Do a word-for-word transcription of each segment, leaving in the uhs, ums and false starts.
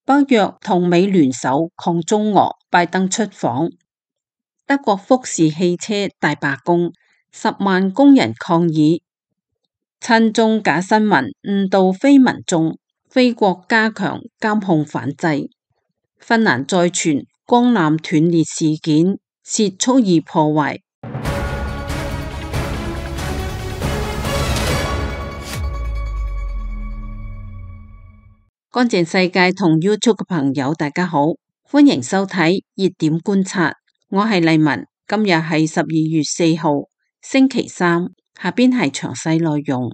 北約同美聯手抗中俄，拜登出訪。德國福士汽車大罷工，十萬工人抗議，親中假新聞誤導非民眾，菲國加強監控反制。芬蘭再傳光纜斷裂事件，涉蓄意破壞。乾淨世界同 YouTube 嘅朋友大家好，歡迎收睇熱點觀察，我係麗文，今日係十二月四號星期三，下邊係詳細內容。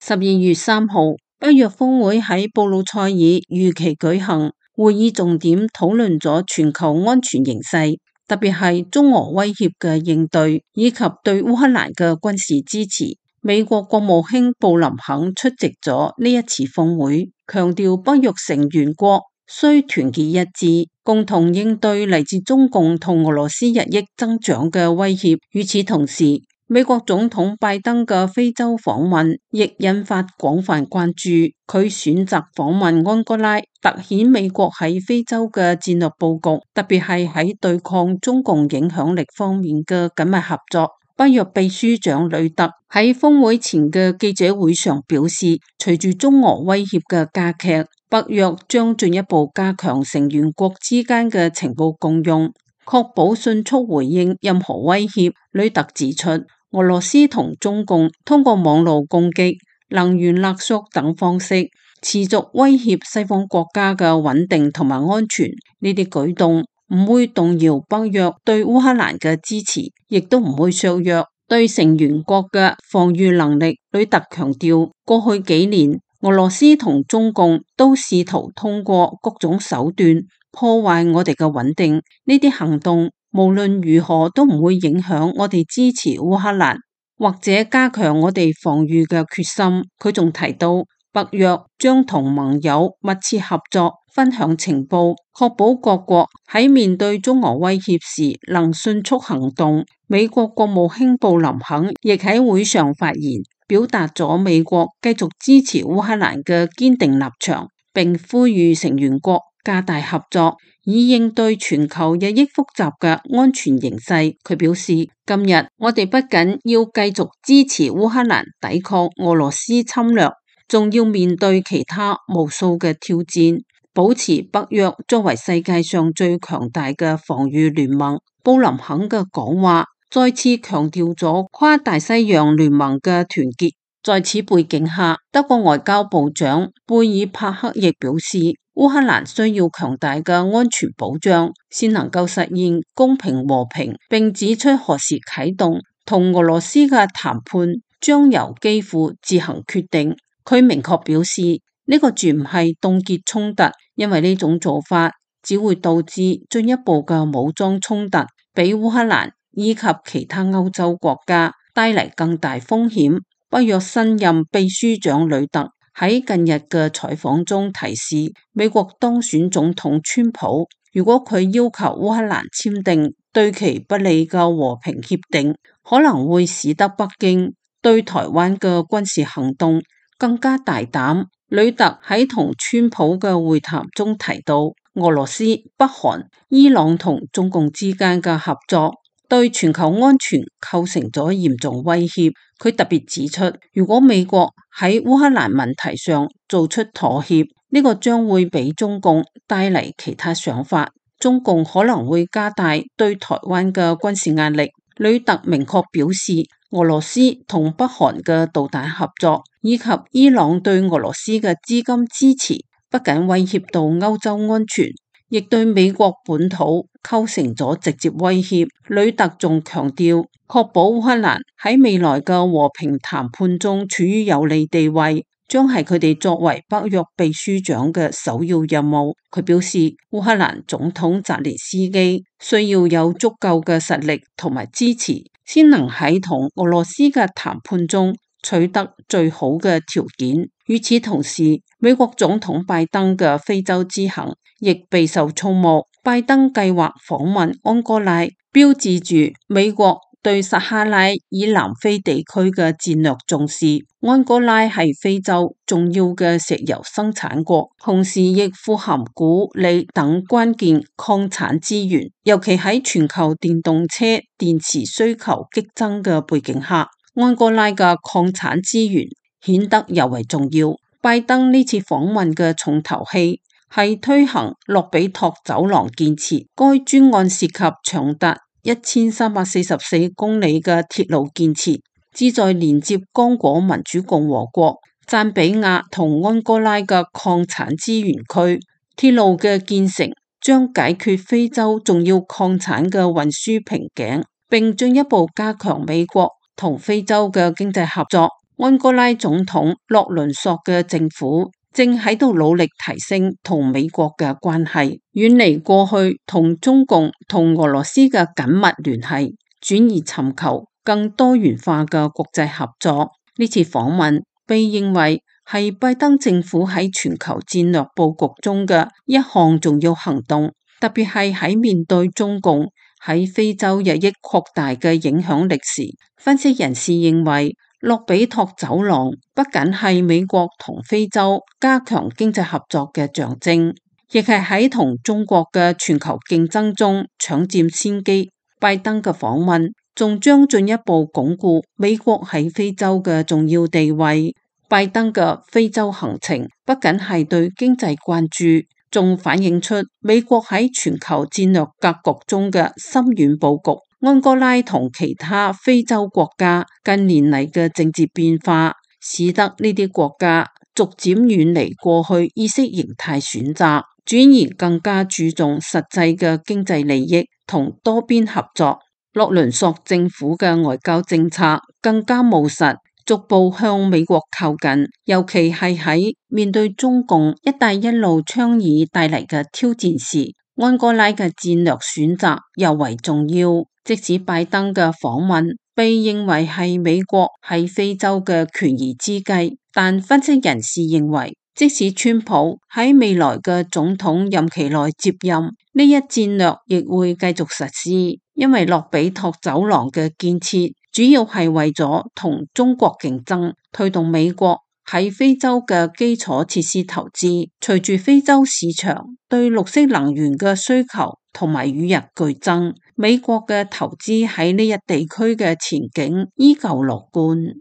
十二月三號，北約峰會喺布魯塞爾如期舉行，會議重點討論咗全球安全形勢，特別係中俄威脅嘅應對，以及對烏克蘭嘅軍事支持。美國國務卿布林肯出席咗呢一次峰會，強調北約成員國需團結一致，共同應對嚟自中共同俄羅斯日益增長嘅威脅。與此同時，美國總統拜登嘅非洲訪問亦引發廣泛關注。佢選擇訪問安哥拉，凸顯美國喺非洲嘅戰略佈局，特別係喺對抗中共影響力方面嘅緊密合作。北約秘書長呂特喺峰會前嘅記者會上表示，隨住中俄威脅嘅加劇，北約將進一步加強成員國之間嘅情報共用，確保迅速回應任何威脅。呂特指出，俄羅斯同中共通過網絡攻擊、能源勒索等方式，持續威脅西方國家嘅穩定同埋安全。呢啲舉動唔會動搖北約對烏克蘭嘅支持，亦都唔會削弱對成員國嘅防禦能力。呂特強調，過去幾年俄羅斯同中共都試圖通過各種手段破壞我哋嘅穩定，呢啲行動無論如何都唔會影響我哋支持烏克蘭或者加強我哋防禦嘅決心。佢仲提到，北約將同盟友密切合作，分享情報，確保各國喺面對中俄威脅時能迅速行動。美國國務卿布林肯亦喺會上發言，表達咗美國繼續支持烏克蘭嘅堅定立場，並呼籲成員國加大合作，以應對全球日益複雜嘅安全形勢。佢表示，今日我哋不僅要繼續支持烏克蘭抵抗俄羅斯侵略，仲要面對其他無數嘅挑戰，保持北約作為世界上最強大嘅防禦聯盟。布林肯嘅講話再次強調咗跨大西洋聯盟嘅團結。在此背景下，德國外交部長貝爾帕克亦表示，烏克蘭需要強大嘅安全保障，先能夠實現公平和平，並指出何時啟動同俄羅斯嘅談判將由基輔自行決定。佢明確表示，呢個絕唔係凍結衝突，因為呢種做法只會導致進一步嘅武裝衝突，俾烏克蘭以及其他歐洲國家帶嚟更大風險。北約新任秘書長呂特喺近日嘅採訪中提示，美國當選總統川普，如果佢要求烏克蘭簽訂對其不利嘅和平協定，可能會使得北京對台灣嘅軍事行動更加大膽。呂特喺同川普嘅會談中提到，俄羅斯、北韓、伊朗同中共之間嘅合作對全球安全構成咗嚴重威脅。佢特別指出，如果美國喺烏克蘭問題上做出妥協，呢個將會俾中共帶嚟其他想法，中共可能會加大對台灣嘅軍事壓力。呂特明確表示，俄羅斯同北韓嘅導彈合作，以及伊朗對俄羅斯嘅資金支持，不僅威脅到歐洲安全，亦對美國本土構成咗直接威脅。呂特仲強調，確保烏克蘭喺未來嘅和平談判中處於有利地位，將係佢哋作為北約秘書長嘅首要任務。佢表示，烏克蘭總統澤連斯基需要有足夠嘅實力同埋支持，先能喺同俄羅斯嘅談判中取得最好嘅條件。與此同時，美國總統拜登嘅非洲之行亦備受矚目。拜登計劃訪問安哥拉，標誌住美國對撒哈拉以南非地區嘅戰略重視。安哥拉係非洲重要嘅石油生產國，同時亦富含鈷、鋰等關鍵礦產資源，尤其喺全球電動車電池需求激增嘅背景下，安哥拉嘅礦產資源顯得尤為重要。拜登呢次訪問嘅重頭戲係推行洛比托走廊建設，該專案涉及長達一千三百四十四公里嘅鐵路建設，旨在連接剛果民主共和國、贊比亞同安哥拉嘅礦產資源區。鐵路嘅建成將解決非洲重要礦產嘅運輸瓶頸，並進一步加強美國同非洲嘅經濟合作。安哥拉總統洛倫索嘅政府正喺度努力提升同美國嘅關係，遠離過去同中共同俄羅斯嘅緊密聯繫，轉而尋求更多元化嘅國際合作。呢次訪問被認為係拜登政府喺全球戰略佈局中嘅一項重要行動，特別係喺面對中共喺非洲日益擴大嘅影響力時。分析人士認為，洛比托走廊不僅係美國同非洲加強經濟合作嘅象徵，亦係喺同中國嘅全球競爭中搶佔先機。拜登嘅訪問仲將進一步鞏固美國喺非洲嘅重要地位。拜登嘅非洲行程不僅係對經濟關注，仲反映出美國喺全球戰略格局中嘅深遠佈局。安哥拉同其他非洲國家近年嚟嘅政治變化，使得呢啲國家逐漸遠離過去意識形態選擇，轉而更加注重實際嘅經濟利益同多邊合作。洛倫索政府嘅外交政策更加務實，逐步向美國靠近，尤其係喺面對中共一帶一路倡議帶嚟嘅挑戰時，安哥拉嘅戰略選擇尤為重要。即使拜登嘅訪問被認為係美國喺非洲嘅權宜之計，但分析人士認為，即使川普喺未來嘅總統任期內接任，呢一戰略亦會繼續實施，因為洛比托走廊嘅建設主要係為咗同中國競爭，推動美國喺非洲嘅基礎設施投資。隨住非洲市場對綠色能源嘅需求同埋與日俱增，美國嘅投資喺呢一地區嘅前景依舊樂觀。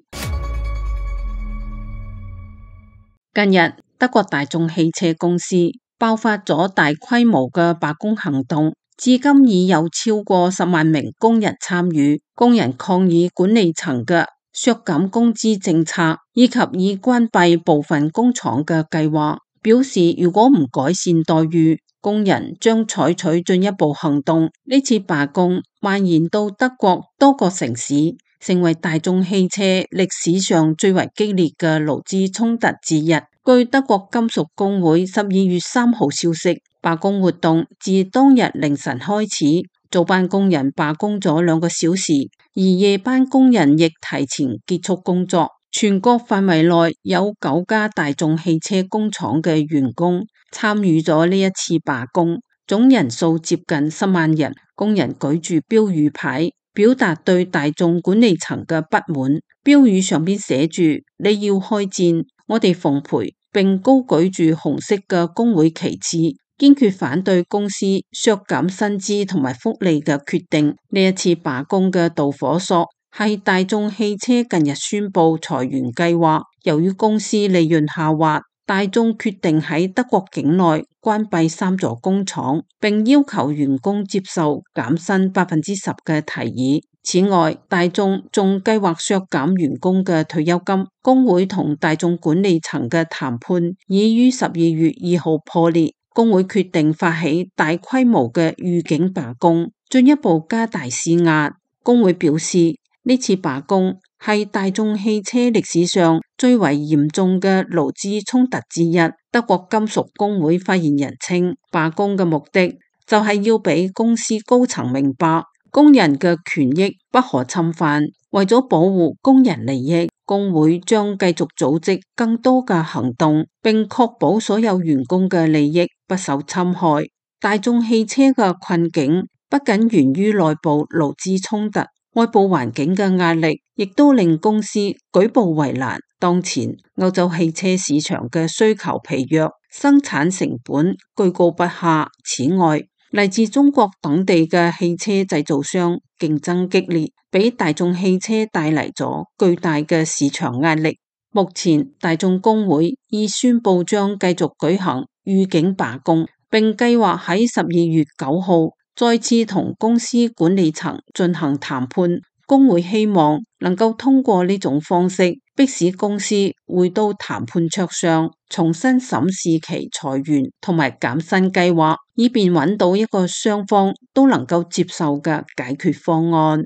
近日，德國大眾汽車公司爆發咗大規模嘅罷工行動，至今已有超過十萬名工人參與。工人抗議管理層嘅削減工資政策，以及已關閉部分工廠嘅計劃，表示如果唔改善待遇，工人將採取進一步行動。呢次罷工蔓延到德國多個城市，成為大眾汽車歷史上最為激烈嘅勞資衝突之一。據德國金屬工會十二月三號消息，罷工活動自當日凌晨開始，早班工人罷工咗兩個小時，而夜班工人亦提前結束工作。全國範圍內有九家大眾汽車工廠嘅員工參與咗呢一次罷工，總人數接近十萬人。工人舉住標語牌，表達對大眾管理層嘅不滿。標語上邊寫住：你要開戰，我哋奉陪，並高舉住紅色嘅工會旗幟，堅決反對公司削減薪資同埋福利嘅決定。呢一次罷工嘅導火索係大眾汽車近日宣布裁員計劃，由於公司利潤下滑，大眾決定喺德國境內關閉三座工廠，並要求員工接受減薪百分之十嘅提議。此外，大眾仲計劃削減員工嘅退休金。工會同大眾管理層嘅談判已於十二月二號破裂，工會決定發起大規模嘅預警罷工，進一步加大施壓。工會表示，呢次罷工係大眾汽車歷史上最為嚴重嘅勞資衝突之一。德國金屬工會發言人稱，罷工嘅目的就係要俾公司高層明白，工人嘅權益不可侵犯。為咗保護工人利益，工會將繼續組織更多嘅行動，並確保所有員工嘅利益不受侵害。大眾汽車嘅困境不僅源於內部勞資衝突，外部環境嘅壓力亦都令公司舉步維難。當前歐洲汽車市場嘅需求疲弱，生產成本居高不下。此外，嚟自中國等地嘅汽車製造商競爭激烈，俾大眾汽車帶嚟咗巨大嘅市場壓力。目前，大眾工會已宣布將繼續舉行預警罷工，並計劃喺十二月九號再次同公司管理層進行談判。工會希望能夠通過呢種方式，迫使公司回到談判桌上，重新審視其裁員同埋減薪計劃，以便揾到一個雙方都能夠接受嘅解決方案。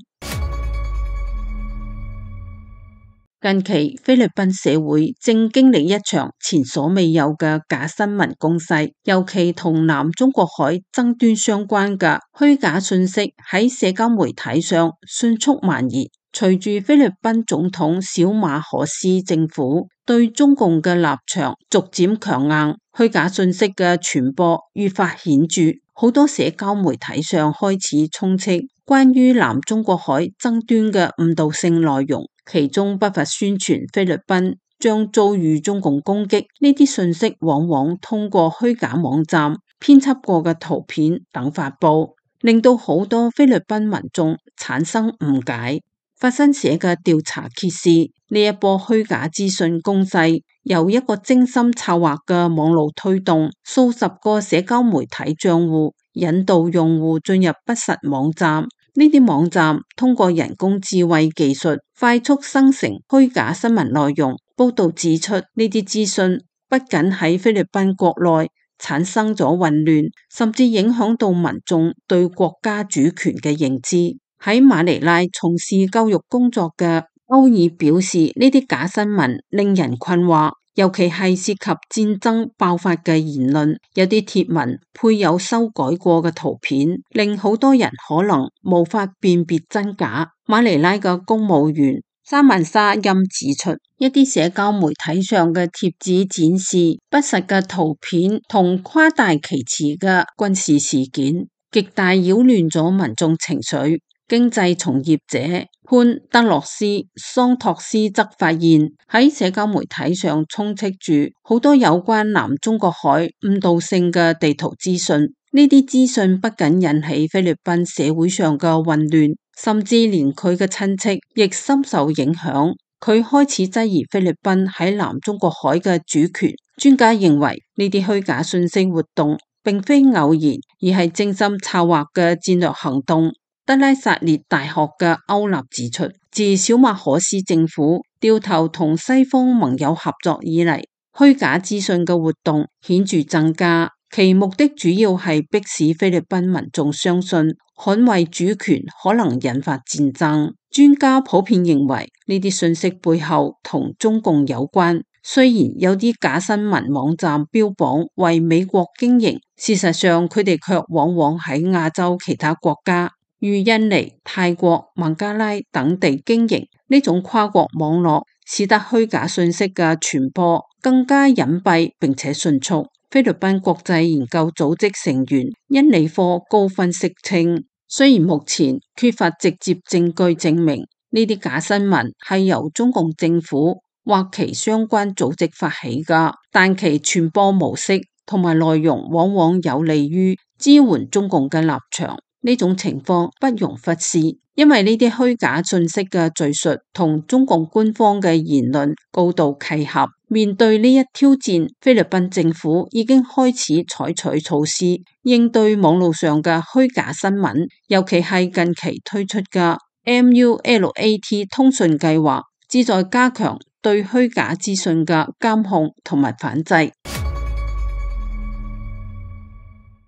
近期菲律賓社會正經歷一場前所未有嘅假新聞攻勢，尤其同南中國海爭端相關嘅虛假信息喺社交媒體上迅速蔓延。隨住菲律賓總統小馬可斯政府對中共嘅立場逐漸強硬，虛假信息嘅傳播愈發顯著，好多社交媒體上開始充斥關於南中國海爭端嘅誤導性內容。其中不乏宣傳菲律賓將遭遇中共攻擊，呢啲信息往往通過虛假網站編輯過嘅圖片等發布，令到好多菲律賓民眾產生誤解。法新社嘅調查揭示，呢一波虛假資訊攻勢由一個精心策劃嘅網絡推動，數十個社交媒體賬戶引導用戶進入不實網站。呢啲網站通過人工智慧技術快速生成虛假新聞內容。報道指出，呢啲資訊不僅喺菲律賓國內產生咗混亂，甚至影響到民眾對國家主權嘅認知。喺馬尼拉從事教育工作嘅歐爾表示，呢啲假新聞令人困惑。尤其係涉及戰爭爆發嘅言論，有啲貼文配有修改過嘅圖片，令好多人可能無法辨別真假。馬尼拉嘅公務員沙曼沙欽指出，一啲社交媒體上嘅貼紙展示不實嘅圖片同誇大其詞嘅軍事事件，極大擾亂咗民眾情緒。經濟從業者潘德洛斯桑托斯則發現，喺社交媒體上充斥住好多有關南中國海誤導性嘅地圖資訊。呢啲資訊不僅引起菲律賓社會上嘅混亂，甚至連佢嘅親戚亦深受影響。佢開始質疑菲律賓喺南中國海嘅主權。專家認為，呢啲虛假信息活動並非偶然，而係精心策劃嘅戰略行動。德拉薩列大學嘅歐納指出，自小馬可斯政府掉頭同西方盟友合作以嚟，虛假資訊嘅活動顯著增加，其目的主要係迫使菲律賓民眾相信捍衛主權可能引發戰爭。專家普遍認為，呢啲信息背後同中共有關。雖然有啲假新聞網站標榜為美國經營，事實上佢哋卻往往喺亞洲其他國家如印尼、泰國、孟加拉等地經營。呢種跨國網絡使得虛假信息嘅傳播更加隱蔽並且迅速。菲律賓國際研究組織成員恩理科高分析稱，雖然目前缺乏直接證據證明呢啲假新聞係由中共政府或其相關組織發起㗎，但其傳播模式同埋內容往往有利於支援中共嘅立場。呢種情況不容忽視，因為呢啲虛假信息嘅敘述同中共官方嘅言論高度契合。面對呢一挑戰，菲律賓政府已經開始採取措施應對網絡上嘅虛假新聞，尤其係近期推出嘅 M U L A T 通訊計劃，旨在加強對虛假資訊嘅監控同埋反制。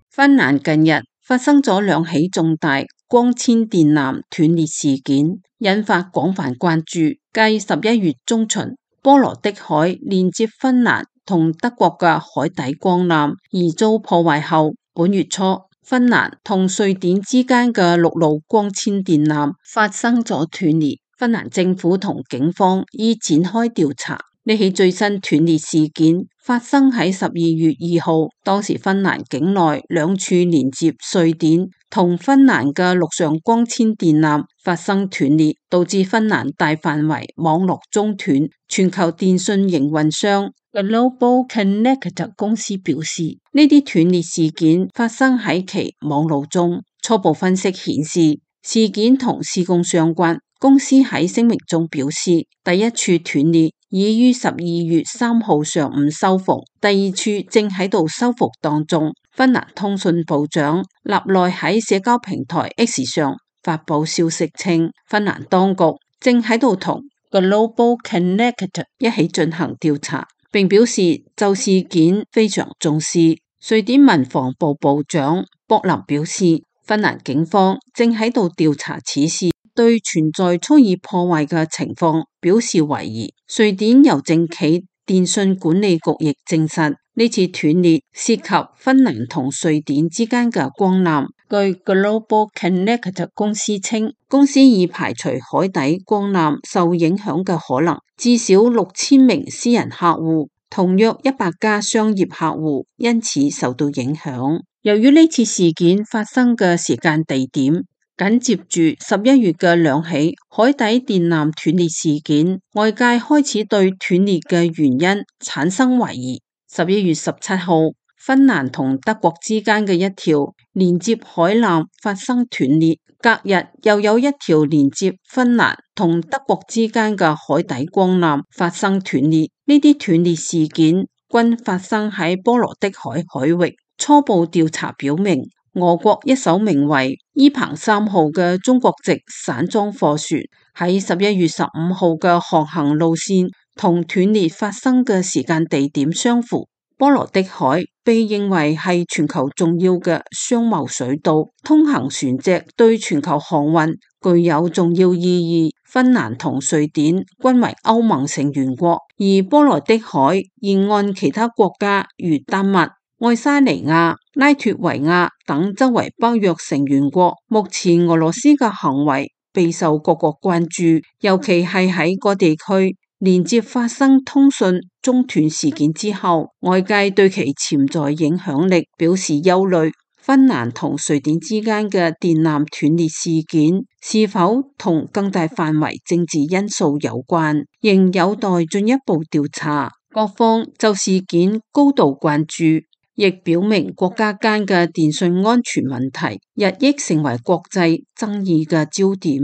芬蘭近日發生咗兩起重大光纖電纜斷裂事件，引發廣泛關注。繼十一月中旬波羅的海連接芬蘭同德國嘅海底光纜而遭破壞後，本月初芬蘭同瑞典之間嘅陸路光纖電纜發生咗斷裂。芬蘭政府同警方已展開調查。呢起最新斷裂事件發生喺十二月二號，當時芬蘭境內兩處連接瑞典同芬蘭嘅陸上光纖電纜發生斷裂，導致芬蘭大範圍網絡中斷。全球電信營運商 Global Connect 公司表示，呢啲斷裂事件發生喺其網路中。初步分析顯示，事件同施工相關。公司喺聲明中表示，第一處斷裂已於十二月三號上午修復，第二處正喺度修復當中。芬蘭通訊部長納內喺社交平台 X 上發佈消息稱，芬蘭當局正喺度同 Global Connect 一起進行調查，並表示就事件非常重視。瑞典民防部部長博林表示，芬蘭警方正喺度調查此事，對存在蓄意破壞嘅情況表示懷疑。瑞典郵政企電信管理局亦證實，呢次斷裂涉及芬蘭同瑞典之間嘅光纜。據 Global Connect 公司稱，公司已排除海底光纜受影響嘅可能，至少六千名私人客戶同約一百家商業客戶因此受到影響。由於呢次事件發生嘅時間地點緊接住十一月嘅兩起海底電纜斷裂事件，外界開始對斷裂嘅原因產生懷疑。十一月十七號，芬蘭同德國之間嘅一條連接海纜發生斷裂，隔日又有一條連接芬蘭同德國之間嘅海底光纜發生斷裂。呢啲斷裂事件均發生喺波羅的海海域。初步調查表明，俄國一艘名為伊彭三號嘅中國籍散裝貨船喺十一月十五號嘅航行路線同斷裂發生嘅時間地點相符。波羅的海被認為係全球重要嘅商貿水道，通行船隻對全球航運具有重要意義。芬蘭同瑞典均為歐盟成員國，而波羅的海沿岸其他國家如丹麥、愛沙尼亞、拉脫維亞等周圍北約成員國，目前俄羅斯嘅行為備受各國關注，尤其係喺各地區連接發生通訊中斷事件之後，外界對其潛在影響力表示憂慮。芬蘭同瑞典之間嘅電纜斷裂事件是否同更大範圍政治因素有關，仍有待進一步調查。各方就事件高度關注，亦表明國家間嘅電信安全問題日益成為國際爭議嘅焦點。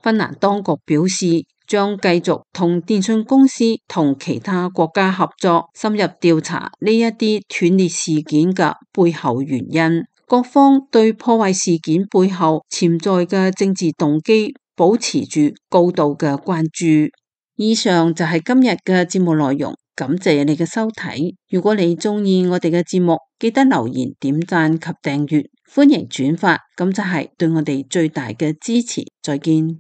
芬蘭當局表示，將繼續同電信公司同其他國家合作，深入調查呢一啲斷裂事件嘅背後原因。各方對破壞事件背後潛在嘅政治動機保持住高度嘅關注。以上就係今日嘅節目內容，感謝你嘅收睇。如果你中意我哋嘅節目，記得留言、點讚及訂閱，歡迎轉發，咁就係對我哋最大嘅支持。再見。